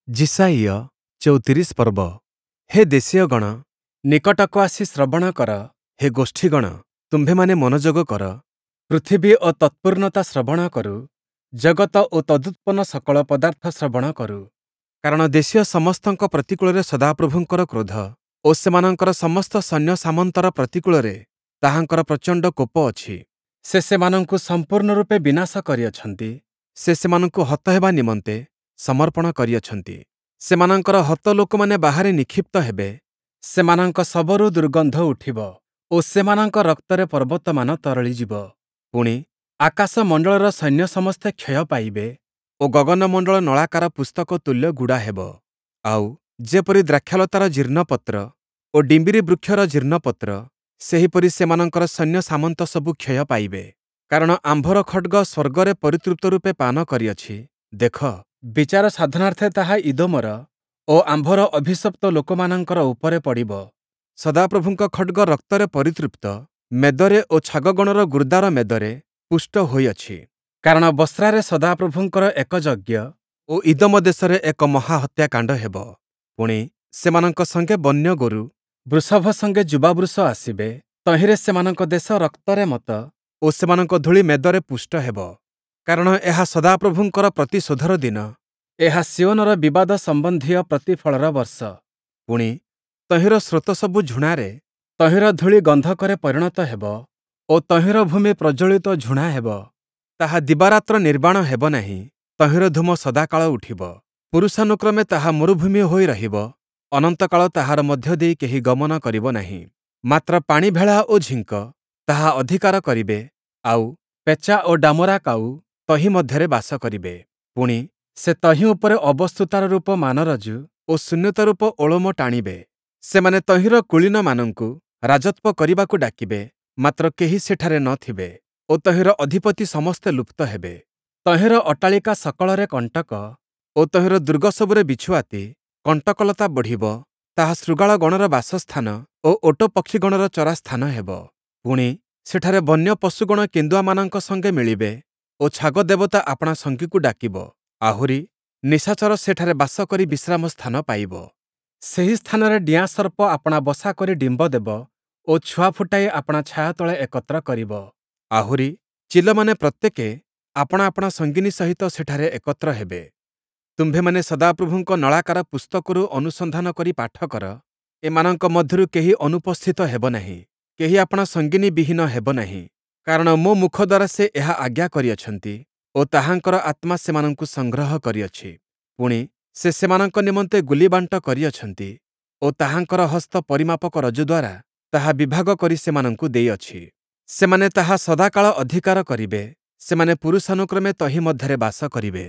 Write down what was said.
ଯିଶାଇୟ ୩୪ ପର୍ବ। ହେ ଦେଶୀୟଗଣ, ନିକଟକୁ ଆସି ଶ୍ରବଣ କର; ହେ ଗୋଷ୍ଠୀଗଣ, ତୁମ୍ଭେମାନେ ମନୋଯୋଗ କର। ପୃଥିବୀ ଓ ତତ୍ପୂର୍ଣ୍ଣତା ଶ୍ରବଣ କରୁ; ଜଗତ ଓ ତଦୁତ୍ପନ୍ନ ସକଳ ପଦାର୍ଥ ଶ୍ରବଣ କରୁ। କାରଣ ଦେଶୀୟ ସମସ୍ତଙ୍କ ପ୍ରତିକୂଳରେ ସଦାପ୍ରଭୁଙ୍କର କ୍ରୋଧ ଓ ସେମାନଙ୍କର ସମସ୍ତ ସୈନ୍ୟସାମନ୍ତର ପ୍ରତିକୂଳରେ ତାହାଙ୍କର ପ୍ରଚଣ୍ଡ କୋପ ଅଛି। ସେ ସେମାନଙ୍କୁ ସମ୍ପୂର୍ଣ୍ଣ ରୂପେ ବିନାଶ କରିଅଛନ୍ତି; ସେ ସେମାନଙ୍କୁ ହତ ହେବା ନିମନ୍ତେ ସମର୍ପଣ କରିଅଛନ୍ତି। ସେମାନଙ୍କର ହତ ଲୋକମାନେ ବାହାରେ ନିକ୍ଷିପ୍ତ ହେବେ; ସେମାନଙ୍କ ଶବରୁ ଦୁର୍ଗନ୍ଧ ଉଠିବ ଓ ସେମାନଙ୍କ ରକ୍ତରେ ପର୍ବତମାନ ତରଳିଯିବ। ପୁଣି, ଆକାଶମଣ୍ଡଳର ସୈନ୍ୟ ସମସ୍ତେ କ୍ଷୟ ପାଇବେ ଓ ଗଗନମଣ୍ଡଳ ନଳାକାର ପୁସ୍ତକ ତୁଲ୍ୟ ଗୁଡ଼ା ହେବ। ଆଉ, ଯେପରି ଦ୍ରାକ୍ଷାଲତାର ଜୀର୍ଣ୍ଣ ପତ୍ର ଓ ଡିମ୍ବିରି ବୃକ୍ଷର ଜୀର୍ଣ୍ଣ ପତ୍ର, ସେହିପରି ସେମାନଙ୍କର ସୈନ୍ୟସାମନ୍ତ ସବୁ କ୍ଷୟ ପାଇବେ। କାରଣ ଆମ୍ଭର ଖଡ଼୍ଗ ସ୍ୱର୍ଗରେ ପରିତୃପ୍ତ ରୂପେ ପାନ କରିଅଛି; ଦେଖ, ବିଚାର ସାଧନାର୍ଥେ ତାହା ଇଦୋମର ଓ ଆମ୍ଭର ଅଭିଶପ୍ତ ଲୋକମାନଙ୍କର ଉପରେ ପଡ଼ିବ। ସଦାପ୍ରଭୁଙ୍କ ଖଡ଼୍ଗ ରକ୍ତରେ ପରିତୃପ୍ତ, ମେଦରେ ଓ ଛାଗଗଣର ଗୁର୍ଦାର ମେଦରେ ପୁଷ୍ଟ ହୋଇଅଛି। କାରଣ ବସ୍ରାରେ ସଦାପ୍ରଭୁଙ୍କର ଏକ ଯଜ୍ଞ ଓ ଇଦୋମ ଦେଶରେ ଏକ ମହା ହତ୍ୟାକାଣ୍ଡ ହେବ। ପୁଣି, ସେମାନଙ୍କ ସଙ୍ଗେ ବନ୍ୟଗୋରୁ, ବୃଷଭ ସଙ୍ଗେ ଯୁବାବୃଷ ଆସିବେ; ତହିଁରେ ସେମାନଙ୍କ ଦେଶ ରକ୍ତରେ ମତ୍ତ ଓ ସେମାନଙ୍କ ଧୂଳି ମେଦରେ ପୁଷ୍ଟ ହେବ। କାରଣ ଏହା ସଦାପ୍ରଭୁଙ୍କର ପ୍ରତିଶୋଧର ଦିନ; ଏହା ସିୟୋନର ବିବାଦ ସମ୍ବନ୍ଧୀୟ ପ୍ରତିଫଳର ବର୍ଷ। ପୁଣି, ତହିଁର ସ୍ରୋତସବୁ ଝୁଣାରେ, ତହିଁର ଧୂଳି ଗନ୍ଧକରେ ପରିଣତ ହେବ ଓ ତହିଁର ଭୂମି ପ୍ରଜ୍ୱଳିତ ଝୁଣା ହେବ। ତାହା ଦିବାରାତ୍ର ନିର୍ବାଣ ହେବ ନାହିଁ; ତହିଁର ଧୂମ ସଦାକାଳ ଉଠିବ। ପୁରୁଷାନୁକ୍ରମେ ତାହା ମରୁଭୂମି ହୋଇ ରହିବ; ଅନନ୍ତକାଳ ତାହାର ମଧ୍ୟ ଦେଇ କେହି ଗମନ କରିବ ନାହିଁ। ମାତ୍ର ପାଣି ଭେଳା ଓ ଝିଙ୍କ ତାହା ଅଧିକାର କରିବେ, ଆଉ, ପେଚା ଓ ଡାମରା କାଉ ତହିଁ ମଧ୍ୟରେ ବାସ କରିବେ। ପୁଣି, ସେ ତହିଁ ଉପରେ ଅବସ୍ତୁତାର ରୂପ ମାନରଜ୍ଜୁ ଓ ଶୂନ୍ୟତା ରୂପ ଓଳମ ଟାଣିବେ। ସେମାନେ ତହିଁର କୁଳୀନମାନଙ୍କୁ ରାଜତ୍ୱ କରିବାକୁ ଡାକିବେ, ମାତ୍ର କେହି ସେଠାରେ ନ ଥିବେ ଓ ତହିଁର ଅଧିପତି ସମସ୍ତେ ଲୁପ୍ତ ହେବେ। ତହିଁର ଅଟ୍ଟାଳିକା ସକଳରେ କଣ୍ଟକ ଓ ତହିଁର ଦୁର୍ଗସବୁରେ ବିଛୁଆତି, କଣ୍ଟକଲତା ବଢ଼ିବ; ତାହା ଶୃଗାଳଗଣର ବାସସ୍ଥାନ ଓ ଓଟ ପକ୍ଷିଗଣର ଚରାସ୍ଥାନ ହେବ। ପୁଣି, ସେଠାରେ ବନ୍ୟ ପଶୁଗଣ କେନ୍ଦୁଆମାନଙ୍କ ସଙ୍ଗେ ମିଳିବେ ଓ ଛାଗ ଦେବତା ଆପଣା ସଙ୍ଗୀକୁ ଡାକିବ। ଆହୁରି, ନିଶାଚର ସେଠାରେ ବାସ କରି ବିଶ୍ରାମ ସ୍ଥାନ ପାଇବ। ସେହି ସ୍ଥାନରେ ଡିଆଁ ସର୍ପ ଆପଣା ବସା କରି ଡିମ୍ବ ଦେବ ଓ ଛୁଆ ଫୁଟାଇ ଆପଣା ଛାୟା ତଳେ ଏକତ୍ର କରିବ। ଆହୁରି, ଚିଲମାନେ ପ୍ରତ୍ୟେକେ ଆପଣା ଆପଣା ସଙ୍ଗିନୀ ସହିତ ସେଠାରେ ଏକତ୍ର ହେବେ। ତୁମ୍ଭେମାନେ ସଦାପ୍ରଭୁଙ୍କ ନଳାକାର ପୁସ୍ତକରୁ ଅନୁସନ୍ଧାନ କରି ପାଠ କର; ଏମାନଙ୍କ ମଧ୍ୟରୁ କେହି ଅନୁପସ୍ଥିତ ହେବ ନାହିଁ, କେହି ଆପଣା ସଙ୍ଗିନୀ ବିହୀନ ହେବ ନାହିଁ। କାରଣ ମୋ ମୁଖ ଦ୍ୱାରା ସେ ଏହା ଆଜ୍ଞା କରିଅଛନ୍ତି ଓ ତାହାଙ୍କର ଆତ୍ମା ସେମାନଙ୍କୁ ସଂଗ୍ରହ କରିଅଛି। ପୁଣି, ସେ ସେମାନଙ୍କ ନିମନ୍ତେ ଗୁଲିବାଣ୍ଟ କରିଅଛନ୍ତି ଓ ତାହାଙ୍କର ହସ୍ତ ପରିମାପକ ରଜ୍ଜୁ ଦ୍ୱାରା ତାହା ବିଭାଗ କରି ସେମାନଙ୍କୁ ଦେଇଅଛି। ସେମାନେ ତାହା ସଦାକାଳ ଅଧିକାର କରିବେ; ସେମାନେ ପୁରୁଷାନୁକ୍ରମେ ତହିଁ ମଧ୍ୟରେ ବାସ କରିବେ।